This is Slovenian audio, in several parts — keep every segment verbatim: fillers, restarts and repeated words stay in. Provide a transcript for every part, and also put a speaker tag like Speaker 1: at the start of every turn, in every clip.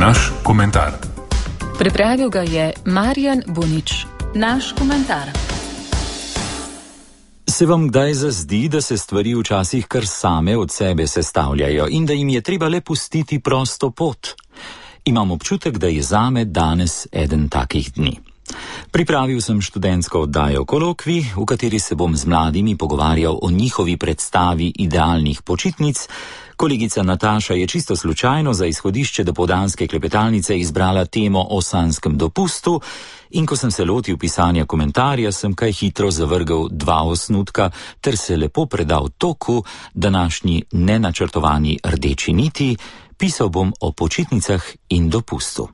Speaker 1: Naš komentar.
Speaker 2: Pripravil ga je Marjan Bunič. Naš komentar.
Speaker 3: Se vam kdaj zazdi, da se stvari včasih kar same od sebe sestavljajo in da jim je treba le pustiti prosto pot? Imam občutek, da je zame danes eden takih dni. Pripravil sem študentsko oddajo Kolokvij, v kateri se bom z mladimi pogovarjal o njihovi predstavi idealnih počitnic. Kolegica Nataša je čisto slučajno za izhodišče dopoldanske klepetalnice izbrala temo o sanjskem dopustu in ko sem se lotil pisanja komentarja, sem kaj hitro zavrgel dva osnutka ter se lepo predal toku, današnji nenačrtovani rdeči niti, pisal bom o počitnicah in dopustu.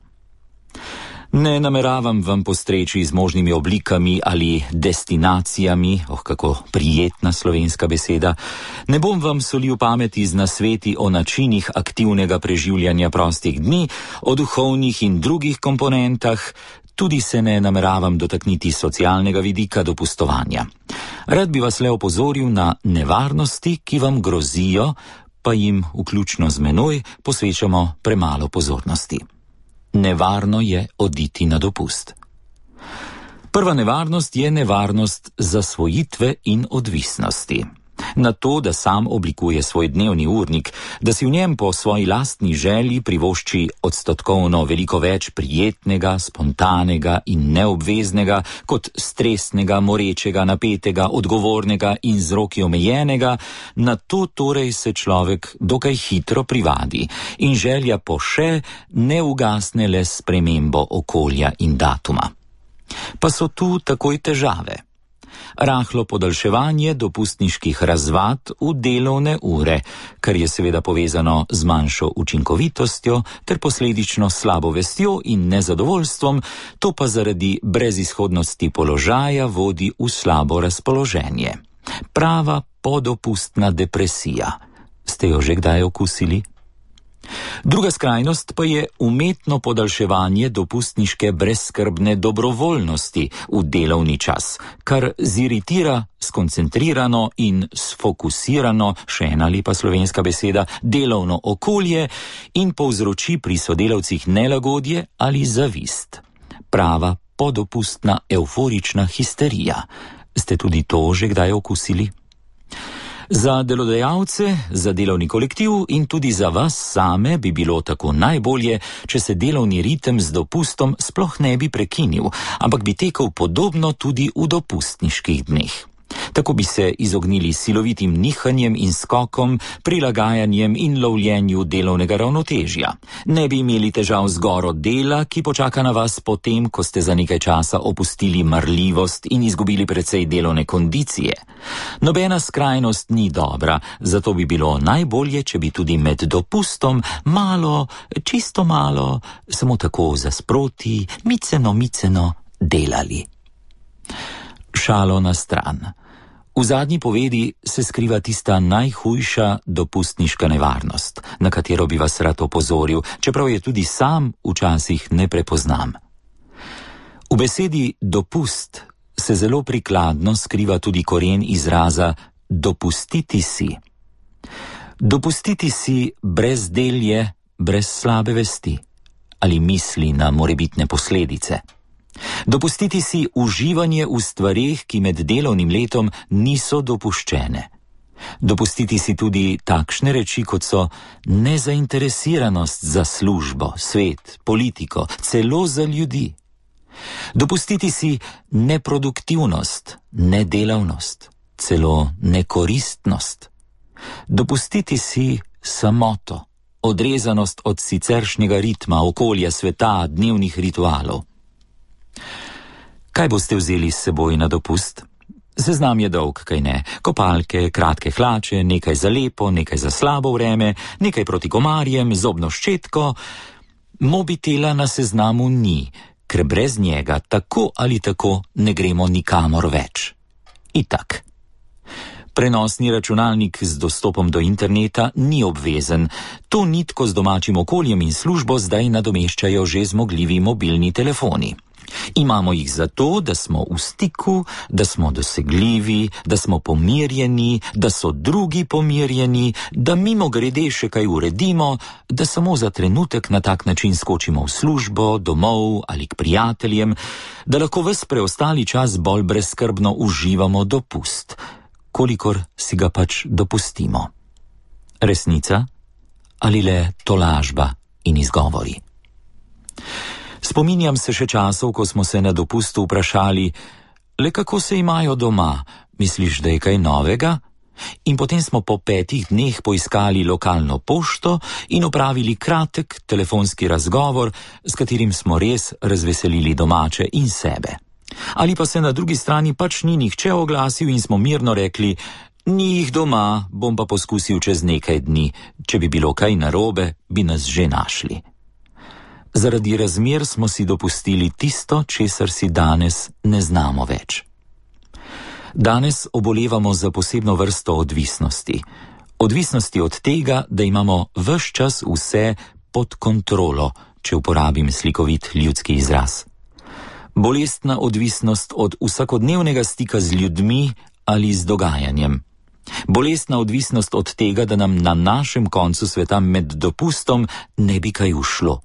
Speaker 3: Ne nameravam vam postreči z možnimi oblikami ali destinacijami, oh kako prijetna slovenska beseda, ne bom vam solil pameti z nasveti o načinih aktivnega preživljanja prostih dni, o duhovnih in drugih komponentah, tudi se ne nameravam dotakniti socialnega vidika dopustovanja. Rad bi vas le opozoril na nevarnosti, ki vam grozijo, pa jim, vključno z menoj, posvečamo premalo pozornosti. Nevarno je oditi na dopust. Prva nevarnost je nevarnost zasvojitve in odvisnosti. Na to, da sam oblikuje svoj dnevni urnik, da si v njem po svoji lastni želji privošči odstotkovno veliko več prijetnega, spontanega in neobveznega kot stresnega, morečega, napetega, odgovornega in z roki omejenega, na to torej se človek dokaj hitro privadi in želja po še ne ugasne le s spremembo okolja in datuma. Pa so tu takoj težave. Rahlo podaljševanje dopustniških razvad v delovne ure, kar je seveda povezano z manjšo učinkovitostjo ter posledično slabo vestjo in nezadovoljstvom, to pa zaradi brezizhodnosti položaja vodi v slabo razpoloženje. Prava podopustna depresija. Ste jo že kdaj okusili? Druga skrajnost pa je umetno podaljševanje dopustniške brezskrbne dobrovoljnosti v delovni čas, kar ziritira skoncentrirano in sfokusirano, še ena lepa slovenska beseda, delovno okolje in povzroči pri sodelavcih nelagodje ali zavist. Prava podopustna euforična histerija. Ste tudi to že kdaj okusili? Za delodajalce, za delovni kolektiv in tudi za vas same bi bilo tako najbolje, če se delovni ritem z dopustom sploh ne bi prekinil, ampak bi tekel podobno tudi v dopustniških dneh. Tako bi se izognili silovitim nihanjem in skokom, prilagajanjem in lovljenju delovnega ravnotežja. Ne bi imeli težav z goro dela, ki počaka na vas potem, ko ste za nekaj časa opustili marljivost in izgubili precej delovne kondicije. Nobena skrajnost ni dobra, zato bi bilo najbolje, če bi tudi med dopustom malo, čisto malo, samo tako za sproti, miceno, miceno delali. Šalo na stran. V zadnji povedi se skriva tista najhujša dopustniška nevarnost, na katero bi vas rad opozoril, čeprav je tudi sam včasih ne prepoznam. V besedi dopust se zelo prikladno skriva tudi koren izraza dopustiti si. Dopustiti si brezdelje, brez slabe vesti ali misli na morebitne posledice. Dopustiti si uživanje v stvareh, ki med delovnim letom niso dopuščene. Dopustiti si tudi takšne reči, kot so nezainteresiranost za službo, svet, politiko, celo za ljudi. Dopustiti si neproduktivnost, nedelavnost, celo nekoristnost. Dopustiti si samoto, odrezanost od siceršnjega ritma, okolja, sveta, dnevnih ritualov. Kaj boste vzeli s seboj na dopust? Seznam je dolg, kaj ne? Kopalke, kratke hlače, nekaj za lepo, nekaj za slabo vreme, nekaj proti komarjem, zobno ščetko. Mobitela na seznamu ni, ker brez njega tako ali tako ne gremo nikamor več. Itak. Prenosni računalnik z dostopom do interneta ni obvezen. To nitko z domačim okoljem in službo zdaj nadomeščajo že zmogljivi mobilni telefoni. Imamo jih zato, da smo v stiku, da smo dosegljivi, da smo pomirjeni, da so drugi pomirjeni, da mimogrede še kaj uredimo, da samo za trenutek na tak način skočimo v službo, domov ali k prijateljem, da lahko ves preostali čas bolj brezskrbno uživamo dopust, kolikor si ga pač dopustimo. Resnica ali le tolažba in izgovori? Spominjam se še časov, ko smo se na dopustu vprašali, le kako se imajo doma, misliš, da je kaj novega? In potem smo po petih dneh poiskali lokalno pošto in opravili kratek telefonski razgovor, s katerim smo res razveselili domače in sebe. Ali pa se na drugi strani pač ni nihče oglasil in smo mirno rekli, ni jih doma, bom pa poskusil čez nekaj dni, če bi bilo kaj narobe, bi nas že našli. Zaradi razmer smo si dopustili tisto, česar si danes ne znamo več. Danes obolevamo za posebno vrsto odvisnosti. Odvisnosti od tega, da imamo ves čas vse pod kontrolo, če uporabim slikovit ljudski izraz. Bolestna odvisnost od vsakodnevnega stika z ljudmi ali z dogajanjem. Bolestna odvisnost od tega, da nam na našem koncu sveta med dopustom ne bi kaj ušlo.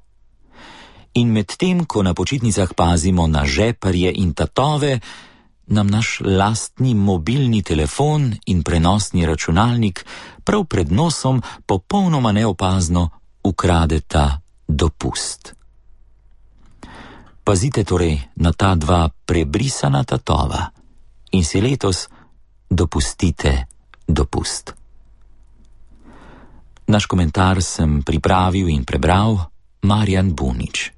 Speaker 3: In medtem, ko na počitnicah pazimo na žeparje in tatove, nam naš lastni mobilni telefon in prenosni računalnik prav pred nosom popolnoma neopazno ukradeta dopust. Pazite torej na ta dva prebrisana tatova in si letos dopustite dopust. Naš komentar sem pripravil in prebral Marjan Bunič.